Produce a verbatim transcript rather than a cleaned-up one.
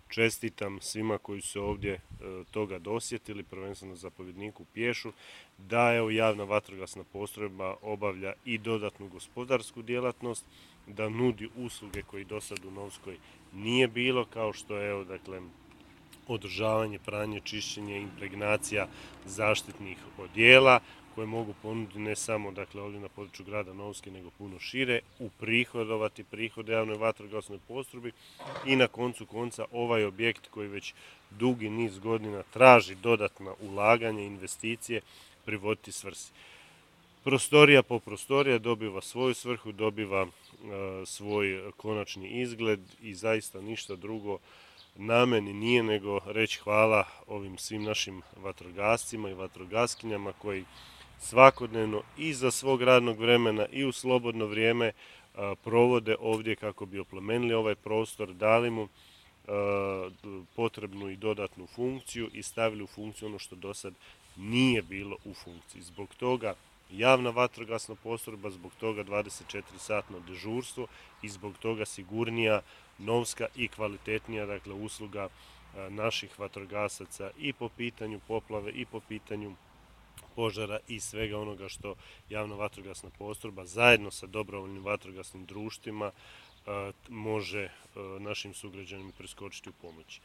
čestitam svima koji su ovdje e, toga dosjetili, prvenstveno zapovjedniku Pješu, da evo javna vatrogasna postrojba obavlja i dodatnu gospodarsku djelatnost, da nudi usluge koji do sad u Novskoj nije bilo, kao što je evo, dakle, održavanje, pranje, čišćenje, impregnacija zaštitnih odjela koje mogu ponuditi ne samo dakle, ovdje na području grada Novske, nego puno šire, uprihodovati prihode javnoj vatrogasnoj postrojbi i na koncu konca ovaj objekt koji već dugi niz godina traži dodatna ulaganja, investicije, privoditi svrsi. Prostorija po prostorija dobiva svoju svrhu, dobiva e, svoj konačni izgled i zaista ništa drugo na meni nije nego reći hvala ovim svim našim vatrogascima i vatrogaskinjama koji svakodnevno i za svog radnog vremena i u slobodno vrijeme a, provode ovdje kako bi oplemenili ovaj prostor, dali mu a, potrebnu i dodatnu funkciju i stavili u funkciju ono što do sad nije bilo u funkciji. Zbog toga javna vatrogasna postrojba, zbog toga dvadeset četiri satno dežurstvo i zbog toga sigurnija, Novska i kvalitetnija dakle, usluga a, naših vatrogasaca i po pitanju poplave i po pitanju požara i svega onoga što javna vatrogasna postrojba zajedno sa dobrovoljnim vatrogasnim društvima a, može a, našim sugrađanima preskočiti u pomoći.